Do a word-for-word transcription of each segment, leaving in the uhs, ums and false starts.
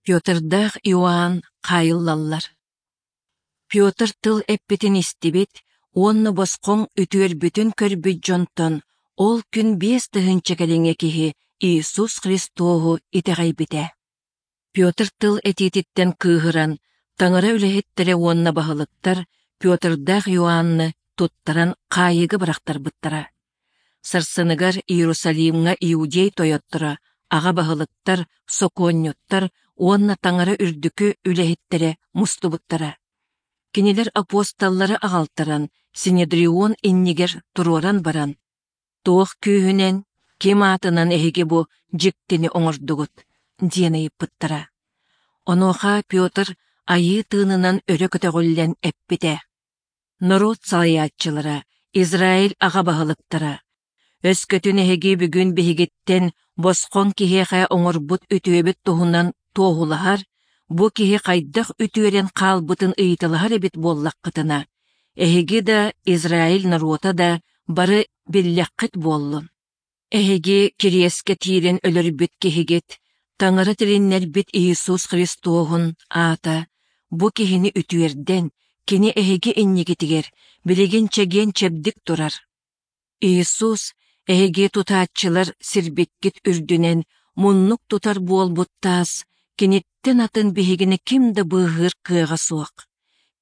Петрдаах Иоанн хаайыллаллар. Петр тыл эппитин истибит уонна босхоҥ үтүөрбүтүн көрбүт дьонтон ол күн биэс тыһыынча кэриҥэ киһи Иисус Христоһу итэҕэйбитэ. Петр тыл этиититтэн кыыһыран, Таҥара үлэһиттэрэ уонна баһылыктар Петрдаах Иоанны туттаран хаайыыга бырахтарбыттара. Сарсыныгар Иерусалимҥа иудей тойотторо, аҕа баһылыктар, сокуонньуттар уонна Таҥара үрдүкү үлэһиттэрэ мустубуттара. Кинилэр апостоллары аҕалтаран Синедрион иннигэр туруоран баран, «Туох күүһүнэн, ким аатынан эһиги бу дьиктини оҥордугут?» диэн ыйыппыттара. Онуоха Петр Айыы тыынынан өрө көтөҕүллэн эппитэ: «Норуот салайааччылара, Израиль аҕа баһылыктара, өскөтүн эһиги бүгүн биһигиттэн босхоҥ киһиэхэ оҥорбут үтүөбүт туһунан туоһулаһар, бу киһи хайдах үтүөрэн хаалбытын ыйыталаһар эбит буоллаххытына, эһиги да, Израиль норуота да бары биллэххит буоллун. Эһиги кириэскэ тиирэн өлөрбүт киһигит, Таҥара тилиннэрбит Иисус Христоһун аата бу киһини үтүөрдэн, кини эһиги иннигитигэр билигин чэгиэн-чэбдик турар. Иисус эһиги тутааччылар сирбиккит үрдүнэн муннук тутар буолбут таас, киниттэн атын биһигини ким да быыһыыр кыаҕа суох.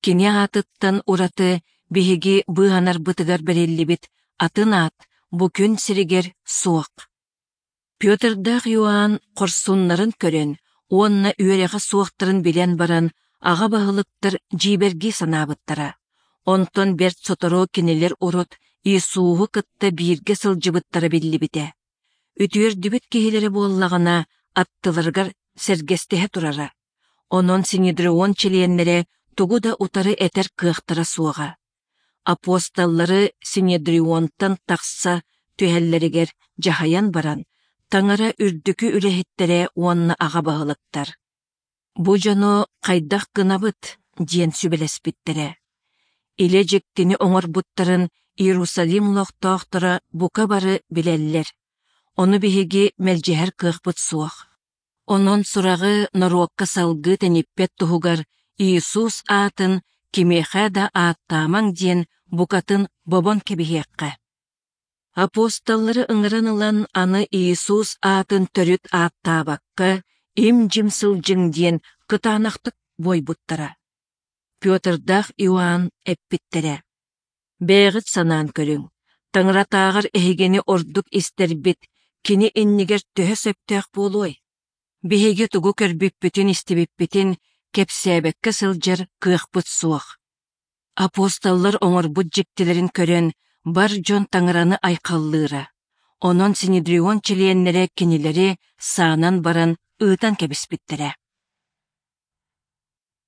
Кини аатыттан ураты биһиги быыһанарбытыгар бэриллибит атын аат бу күн сиригэр суох. Петрдаах Иоанн хорсуннарын көрөн уонна үөрэҕэ суохтарын билэн баран, аҕа баһылыктар дьиибэргии санаабыттара. Онтон бэрт сотору кинилэр урут Иисуһу кытта бииргэ сылдьыбыттара биллибитэ. Үтүөрдүбүт киһилэрэ буоллаҕына, аттыларыгар сэргэстэһэ турара. Онон Синедрион чилиэннэрэ тугу да утары этэр кыахтара суоҕа. Апостоллары Синедрионтан тахса түһэллэригэр дьаһайан баран, Таҥара үрдүкү үлэһиттэрэ уонна аҕа баһылыктар: «Бу дьону хайдах гынабыт?» диэн сүбэлэспиттэрэ. Илэ дьиктини оҥорбуттарын Иерусалим олохтоохторо бука бары билэллэр. Ону биһиги мэлдьэһэр кыахпыт суох. Онон сураҕы норуокка салгыы тэниппэт туһугар Иисус аатын кимиэхэ да ааттаамаҥ диэн букатын бобон кэбиһиэххэ. Апостоллары ыҥыран ылан аны Иисус аатын төрүт ааттаабакка им-дьим сылдьыҥ диэн кытаанахтык буойбуттара. Петрдаах Иоанн эппиттэрэ: «Бэйэҕит санаан көрүҥ, Таҥаратааҕар эһигини ордук истэрбит кини иннигэр төһө сөптөөх буолуой? Биһиги тугу көрбүппүтүн-истибиппитин кэпсээбэккэ сылдьар кыахпыт суох». Апостоллар оҥорбут дьиктилэрин көрөн, бар дьон Таҥараны айхаллыыра. Онон Синедрион чилиэннэрэ кинилэри саанан баран ыытан кэбиспиттэрэ.